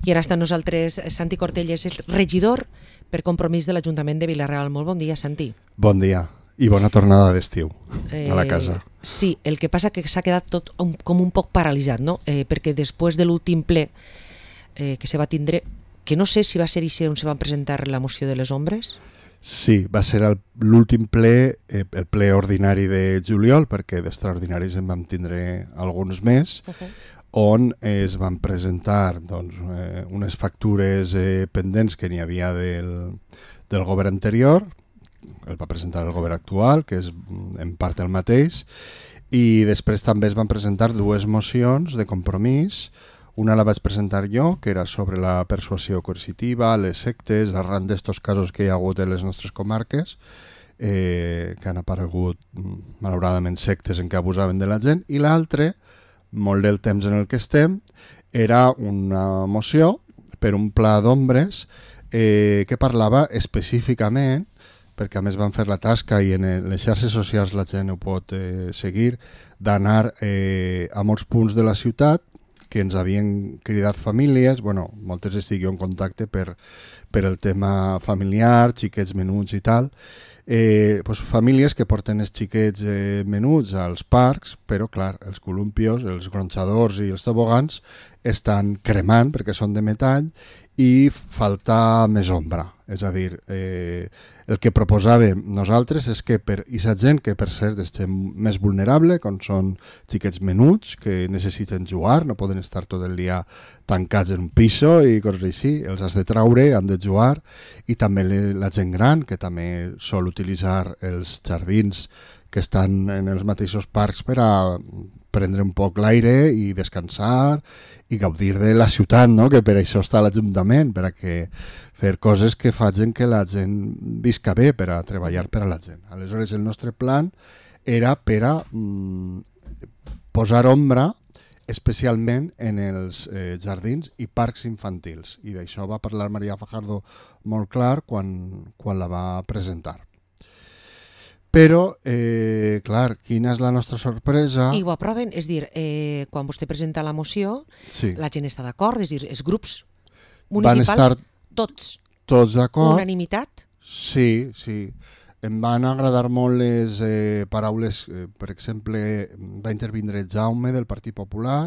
I ara està amb nosaltres Santi Cortelles, és regidor per Compromís de l'Ajuntament de Vila-real. Molt bon dia, Santi. Bon dia i bona tornada d'estiu a la casa. Sí, el que passa que s'ha quedat tot com un poc paralitzat, no? Perquè després de l'últim ple que se va tindre, que no sé si va ser on se van presentar la moció de les ombres. Sí, va ser l'últim ple, el ple ordinari de juliol, perquè d'extraordinaris en vam tindre alguns més, on es van presentar unes factures pendents que n'hi havia del govern anterior, el va presentar el govern actual, que és en part el mateix, i després també es van presentar dues mocions de compromís. Una la vaig presentar jo, que era sobre la persuasió coercitiva, les sectes, arran d'estos casos que hi ha hagut en les nostres comarques, que han aparegut malauradament sectes en què abusaven de la gent, i l'altre, molt del temps en el que estem, era una moció per un pla d'ombres que parlava específicament, perquè a més van fer la tasca i en les xarxes socials la gent ho pot seguir, d'anar a molts punts de la ciutat que ens havien cridat famílies, moltes estic jo en contacte per el tema familiar, xiquets menuts i tal, famílies que porten els xiquets menuts als parcs, però clar, els columpios, els gronxadors i els tobogans estan cremant perquè són de metall i falta més ombra. És a dir, el que proposàvem nosaltres és que per aquesta gent que per cert estem més vulnerable, com són xiquets menuts que necessiten jugar, no poden estar tot el dia tancats en un piso i coses així, els has de traure, han de jugar, i també la gent gran que també sol utilitzar els jardins que estan en els mateixos parcs per a prendre un poc l'aire i descansar i gaudir de la ciutat, no? Que per això està l'Ajuntament, per a fer coses que facin que la gent visca bé, per a treballar per a la gent. Aleshores, el nostre plan era per a posar ombra especialment en els jardins i parcs infantils. I d'això va parlar Maria Fajardo molt clar quan la va presentar. Però, clar, quina és la nostra sorpresa? I ho aproven, és dir, quan vostè presenta la moció, sí, la gent està d'acord, és dir, els grups municipals, tots d'acord. Unanimitat? Sí. Em van agradar molt les paraules, per exemple, va intervindre Jaume del Partit Popular,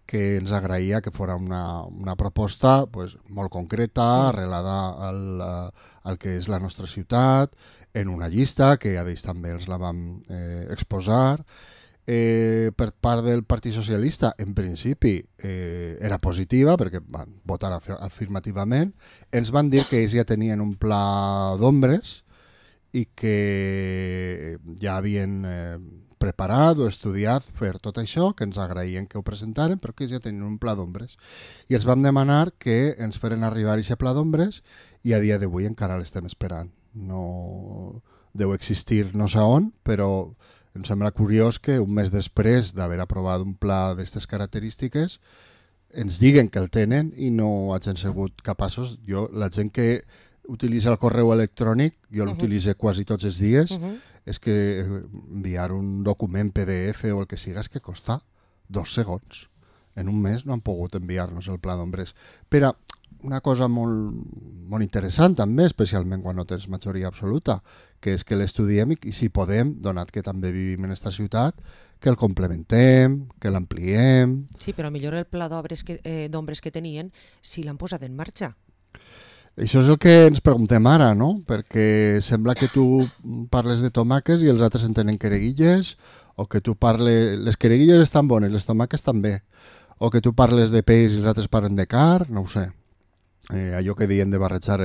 que ens agraïa que fos una proposta molt concreta, arrelada al que és la nostra ciutat, en una llista, que a ells també els la vam exposar. Per part del Partit Socialista, en principi, era positiva, perquè van votar afirmativament. Ens van dir que ells ja tenien un pla d'ombres i que ja havien preparat o estudiat fer tot això, que ens agraïen que ho presentaren, però que ells ja tenien un pla d'ombres. I els vam demanar que ens feren arribar aquest pla d'ombres i a dia d'avui encara l'estem esperant. No deu existir no sé on, però em sembla curiós que un mes després d'haver aprovat un pla d'aquestes característiques ens diguen que el tenen i no hagin sigut capaços. La gent que utilitza el correu electrònic, jo l'utilitzo quasi tots els dies, és que enviar un document PDF o el que siga és que costa 2 segons. En un mes no han pogut enviar-nos el pla d'ombres. Però una cosa molt interessant també, especialment quan no tens majoria absoluta, que és que l'estudiem i si podem, donat que també vivim en aquesta ciutat, que el complementem, que l'ampliem. Sí, però millor el pla d'ombres que tenien si l'han posat en marxa. Això és el que ens preguntem ara, no? Perquè sembla que tu parles de tomàquets i els altres en tenen quereguilles, o que tu parles... Les quereguilles estan bones, les tomàquets també. O que tu parles de peix i els altres parlen de car, no ho sé. Allò que deien de barrejar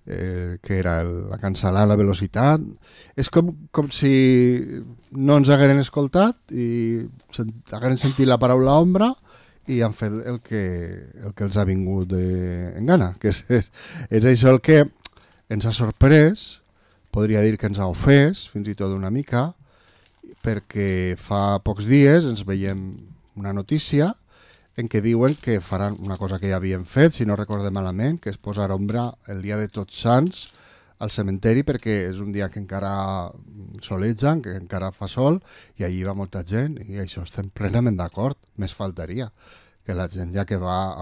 que era la cancel·lar la velocitat, és com si no ens hagueren escoltat i hagueren sentit la paraula ombra i han fet el que els ha vingut en gana, que és això el que ens ha sorprès, podria dir que ens ha ofès fins i tot una mica, perquè fa pocs dies ens veiem una notícia en què diuen que faran una cosa que ja havien fet, si no recorde malament, que és posar ombra el dia de Tots Sants al cementeri, perquè és un dia que encara soleja, que encara fa sol, i allí va molta gent, i això estem plenament d'acord, més faltaria. que la gent ja que va,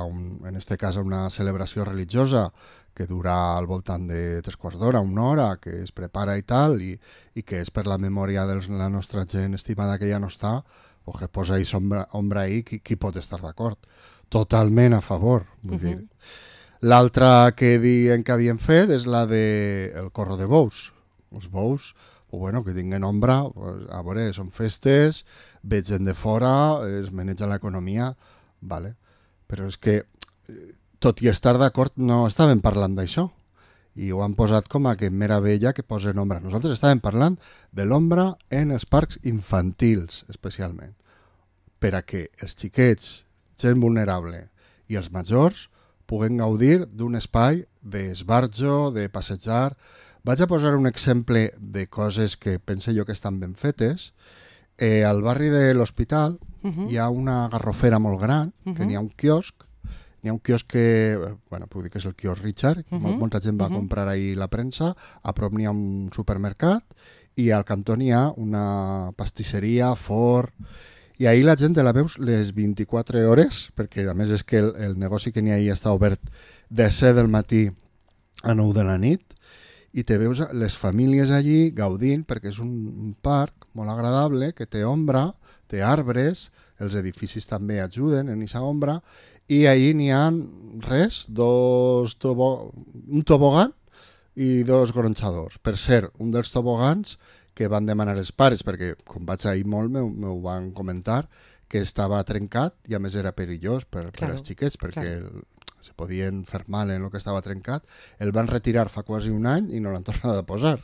en este cas, a una celebració religiosa que dura al voltant de 3/4 d'hora, 1 hora, que es prepara i tal, i que és per la memòria de la nostra gent estimada que ja no està, o que posa ahí ombra ahí, qui pot estar d'acord? Totalment a favor. Vull dir. L'altra que diuen que havien fet és la de el corro de bous. Els bous, bueno, que tinguen ombra, a veure, són festes, ve gent de fora, es maneja l'economia, vale. Però és que, tot i estar d'acord, no estàvem parlant d'això. I ho han posat com a que meravella que posen ombra. Nosaltres estàvem parlant de l'ombra en els parcs infantils, especialment, per a que els xiquets, gent vulnerable i els majors puguen gaudir d'un espai d'esbarjo, de passejar. Vaig a posar un exemple de coses que pense jo que estan ben fetes. Al barri de l'Hospital hi ha una garrofera molt gran, que n'hi ha un quiosc. N'hi ha un quiosc que, bueno, puc dir que és el quiosc Richard, molta gent va comprar ahir la premsa, a prop n'hi ha un supermercat i al cantó n'hi ha una pastisseria, forn, i ahir la gent la veus les 24 hores, perquè a més és que el negoci que n'hi ha ahir està obert de 7 del matí a 9 de la nit, i te veus les famílies allí gaudint, perquè és un parc molt agradable, que té ombra, té arbres, els edificis també ajuden en aquesta ombra, i ahir n'hi ha res, un tobogan i 2 gronxadors. Per cert, un dels tobogans que van demanar els pares, perquè com vaig ahir molt m'ho van comentar, que estava trencat i a més era perillós per als xiquets, perquè se podien fer mal en el que estava trencat. El van retirar fa quasi un any i no l'han tornat a posar.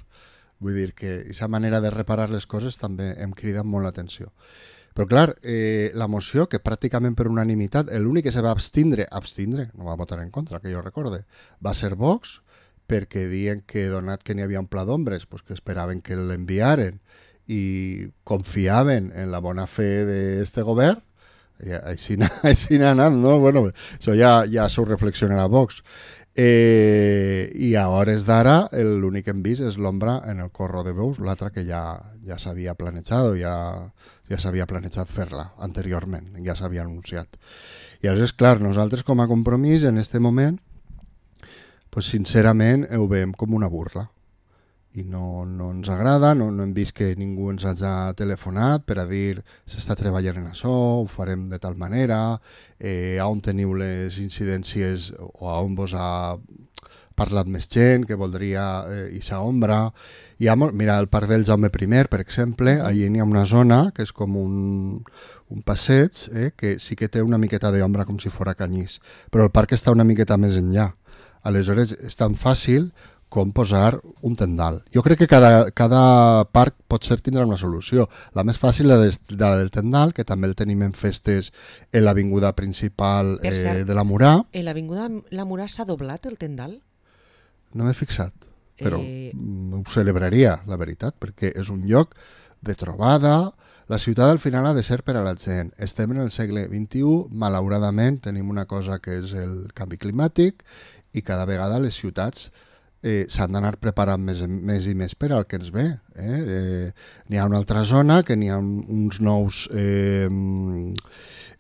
Vull dir que aquesta manera de reparar les coses també em crida molt l'atenció. Però clar, la moció, que pràcticament per unanimitat, l'únic que se va abstindre, no va votar en contra, que jo recorde, va ser Vox, perquè diuen que donat que n'hi havia un pla d'ombres, pues que esperaven que l'enviaren i confiaven en la bona fe d'este govern, i així n'ha anat, no? Bueno, això ja s'ho reflexionarà Vox. I a hores d'ara l'únic que hem vist és l'ombra en el corro de bous, l'altra que ja s'havia planejat, ja s'havia planejat fer-la anteriorment, ja s'havia anunciat. I llavors, clar, nosaltres com a Compromís en aquest moment, pues, sincerament ho veiem com una burla i no ens agrada, no hem vist que ningú ens hagi telefonat per a dir s'està treballant en això, ho farem de tal manera, on teniu les incidències o on vos ha parlat més gent que voldria ixa ombra. Mira, al Parc del Jaume I, per exemple, allí n'hi ha una zona que és com un passeig, que sí que té una miqueta d'ombra com si fora Canyís, però el parc està una miqueta més enllà. Aleshores, és tan fàcil com posar un tendal. Jo crec que cada parc potser tindrà una solució. La més fàcil és la del tendal, que també el tenim en festes en l'avinguda principal de la Murà. En l'avinguda la Murà s'ha doblat el tendal? No m'he fixat, però ho celebraria, la veritat, perquè és un lloc de trobada. La ciutat al final ha de ser per a la gent. Estem en el segle XXI, malauradament tenim una cosa que és el canvi climàtic i cada vegada les ciutats s'han d'anar preparant més i més per al que ens ve. N'hi ha una altra zona que n'hi ha uns nous,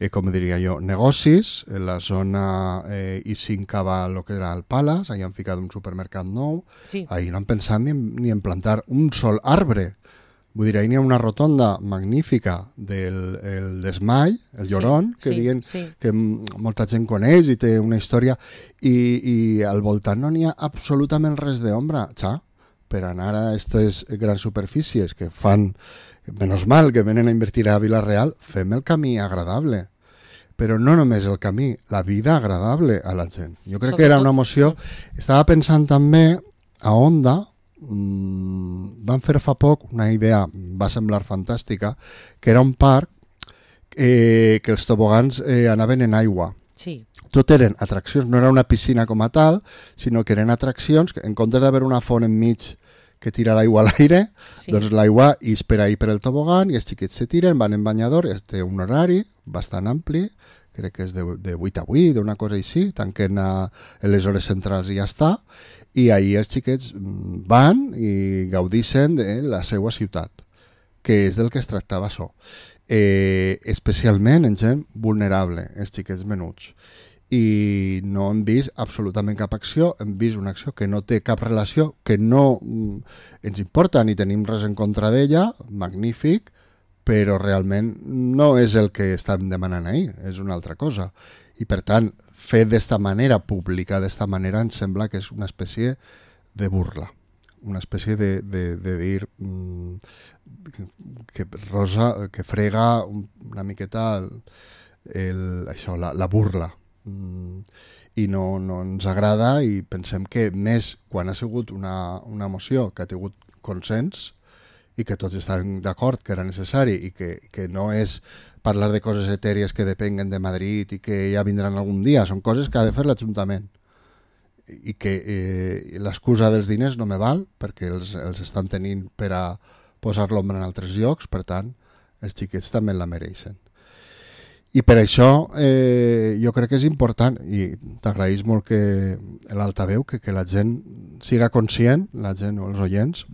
com diria jo, negocis. En la zona I5 va el que era el Palace, allà han ficat un supermercat nou. Sí. Ahir no han pensat ni en plantar un sol arbre. Vull dir, ahir n'hi ha una rotonda magnífica del Desmai, el Llorón, que diuen que molta gent coneix i té una història, i al voltant no n'hi ha absolutament res d'ombra, per anar a aquestes grans superfícies que fan, menys mal que venen a invertir a Vila-real, fem el camí agradable. Però no només el camí, la vida agradable a la gent. Jo crec que era una moció. Estava pensant també a Onda, van fer fa poc una idea, va semblar fantàstica, que era un parc que els tobogans anaven en aigua. Sí. Tot eren atraccions, no era una piscina com a tal, sinó que eren atraccions que en comptes d'haver una font enmig que tira l'aigua a l'aire, doncs l'aigua és per ahir per el tobogan i els xiquets se tiren, van en banyador, té un horari bastant ampli, crec que és de 8 a 8, una cosa així, tanquen a les hores centrals i ja està, i ahir els xiquets van i gaudixen de la seva ciutat, que és del que es tractava això. especialment en gent vulnerable, els xiquets menuts. I no hem vist absolutament cap acció, hem vist una acció que no té cap relació, que no ens importa ni tenim res en contra d'ella, magnífic, però realment no és el que estàvem demanant ahir, és una altra cosa. I per tant, fer d'esta manera, publicar d'esta manera, em sembla que és una espècie de burla, una espècie de dir que Rosa, que frega una miqueta això, la burla. I no ens agrada, i pensem que més quan ha sigut una moció que ha tingut consens i que tots estan d'acord que era necessari i que no és parlar de coses etèries que depenguen de Madrid i que ja vindran algun dia, són coses que ha de fer l'Ajuntament i que l'excusa dels diners no me val perquè els estan tenint per a posar l'ombra en altres llocs, per tant els xiquets també la mereixen. I per això jo crec que és important, i t'agraïs molt que l'altaveu, que la gent siga conscient, la gent o els oients,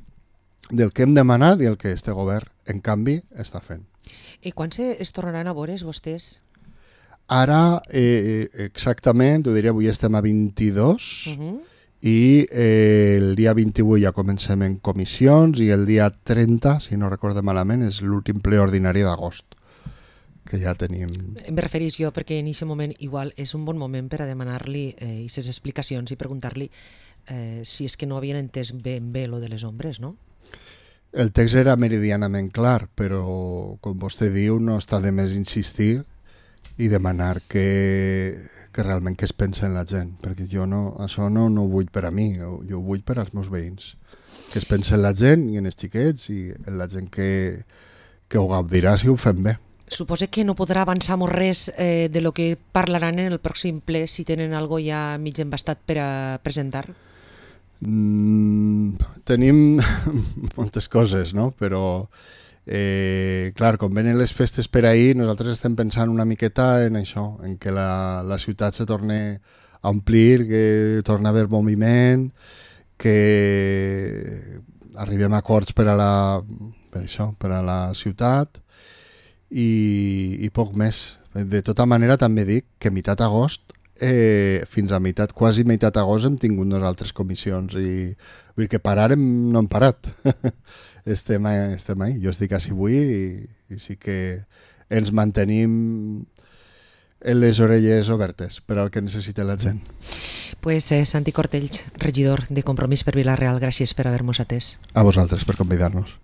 del que hem demanat i el que este govern, en canvi, està fent. I quan es tornaran a veure vostès? Ara, exactament, ho diria, avui estem a 22, i el dia 28 ja comencem en comissions, i el dia 30, si no recordo malament, és l'últim ple ordinari d'agost, que ja tenim... Em referís jo perquè en aquest moment igual és un bon moment per a demanar-li aquestes explicacions i preguntar-li si és que no havien entès ben bé lo de les ombres, no? El text era meridianament clar, però com vostè diu no està de més insistir i demanar que realment que es pensa en la gent, perquè jo això no ho vull per a mi, jo ho vull per als meus veïns, que es pensa en la gent i en els xiquets i en la gent que ho gaudirà si ho fem bé. Suposo que no podrà avançar molt res de lo que parlaran en el pròxim ple si tenen algo ja mig embastat per a presentar? Tenim moltes coses, no? Però, clar, com venen les festes per ahir, nosaltres estem pensant una miqueta en això, en que la ciutat se torni a omplir, que torni a haver moviment, que arribem a acords per a la ciutat, i poc més. De tota manera també dic que meitat agost fins a quasi meitat agost hem tingut nosaltres comissions i vull dir que parar no hem parat. estem ahí. Jo estic així avui i sí que ens mantenim en les orelles obertes per al que necessita la gent. Pues Santi Cortells, regidor de Compromís per Vila-real, gràcies per haver-nos atès. A vosaltres per convidar-nos.